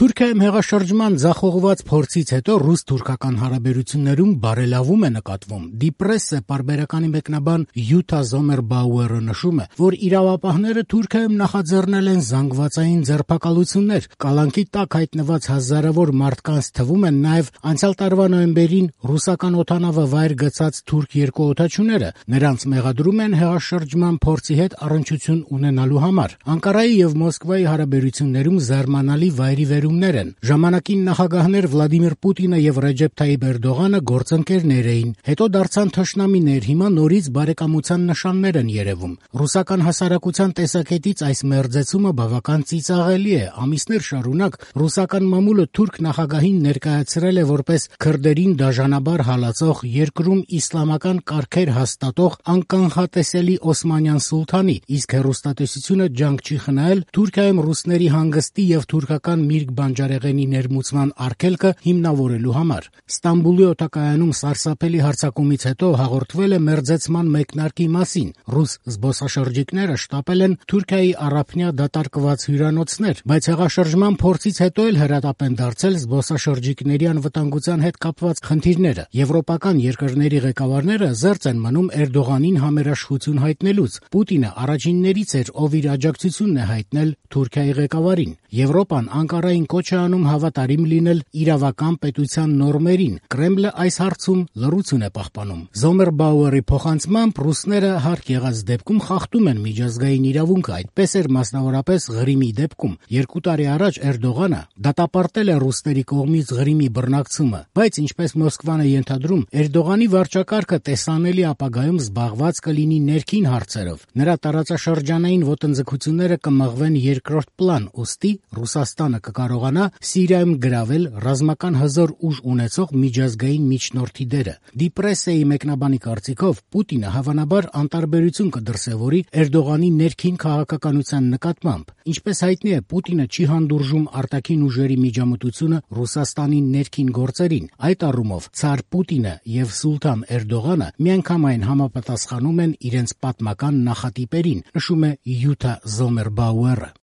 Թուրքիայում հեղաշրջման ձախողված փորձից հետո ռուս-թուրքական հարաբերություններում բարելավում է նկատվում։ Դիպրեսը պարբերականի մեկնաբան Յուտա Զոմերբաուերը նշում է, որ իրավապահները Թուրքիայում նախաձեռնել են զանգվածային ձերբակալություններ։ Կալանքի տակ հայտնված հազարավոր մարդկանց թվում են նաև անցյալ տարվա նոյեմբերին ռուսական օդանավը վայր գցած թուրք երկուօդաչուները։ Նրանց մեղադրում են հեղաշրջման փորձի հետ առնչություն ունենալու համար։ Անկարայի եւ Մոսկվայի հարաբերություններում զարմանալի վայրիվերումներ են։ Ժամանակին նախագահներ Վլադիմիր Պուտինը եւ Ռեջեփ Թայիպ Էրդողանը գործընկերներ էին, հետո դարձան թշնամիներ, հիմա նորից բարեկամության նշաններ են երևում։ Ռուսական հասարակության տեսակետից այս մերձեցումը բավական ծիծաղելի է։ Ամիսներ շարունակ ռուսական մամուլը թուրք նախագահին ներկայացրել է որպես քրդերին դաժանաբար հալածող, երկրում իսլամական կարգեր հաստատող անկանխատեսելի օսմանյան սուլթանի, իսկ հեռուստատեսությունը ջանք չի խնայել Թուրքիայում ռուսների հանգստի եւ թուրքական միրգ բանջարեղենի ներմուծման արգելքը հիմնավորելու համար։ Ստամբուլի օդակայանում սարսափելի հարձակումից հետո հաղորդվել է մերձեցման մեկնարկի մասին։ Ռուս զբոսաշրջիկները շտապել են Թուրքիայի առափնյա դատարկված հյուրանոցներ, բայց հեղաշրջման փորձից հետո էլ հրատապ են դարձել զբոսաշրջիկների անվտանգության հետ կապված խնդիրները։ Եվրոպական երկրների ղեկավարները զերծ են մնում Էրդողանին համերաշխություն հայտնելուց։ Պուտինը առաջիններից էր, ով իր աջակցությունն է հայտնել Թուրքիայի ղեկավարին։ Եվրոպան Անկարային կոչ է անում հավատարիմ լինել իրավական պետության նորմերին։ Կրեմլը այս հարցում լռություն է պահպանում։ Զոմերբաուերի փոխանցմամբ ռուսները հարկ եղած դեպքում խախտում են միջազգային իրավունքը, այդպես էր մասնավորապես Ղրիմի դեպքում։ 2 տարի առաջ Էրդողանը դատապարտել է ռուսների կողմից Ղրիմի բռնակցումը, բայց ինչպես Մոսկվան է ենթադրում, Էրդողանի վարչակարգը տեսանելի ապագայում զբաղված կլինի ներքին հարցերով։ Նրա տարածաշրջանային ոտնձգությունները կմղվեն երկրորդ պլան, ուստի Ռուսաստանը կկարողանա Սիրիայում գրավել ռազմական հզոր ուժ ունեցող միջազգային միջնորդի դերը։ Դիպրեսեի մեկնաբանի կարծիքով Պուտինը հավանաբար անտարբերություն կդրսևորի Էրդողանի ներքին քաղաքականության նկատմամբ։ Ինչպես հայտնի է, Պուտինը չի հանդուրժում արտաքին ուժերի միջամտությունը Ռուսաստանի ներքին գործերին։ Այդ առումով ցար Պուտինը եւ սուլթան Էրդողանը միանգամայն համապատասխանում են իրենց պատմական նախատիպերին, նշում է Յուտա Զոմերբաուերը։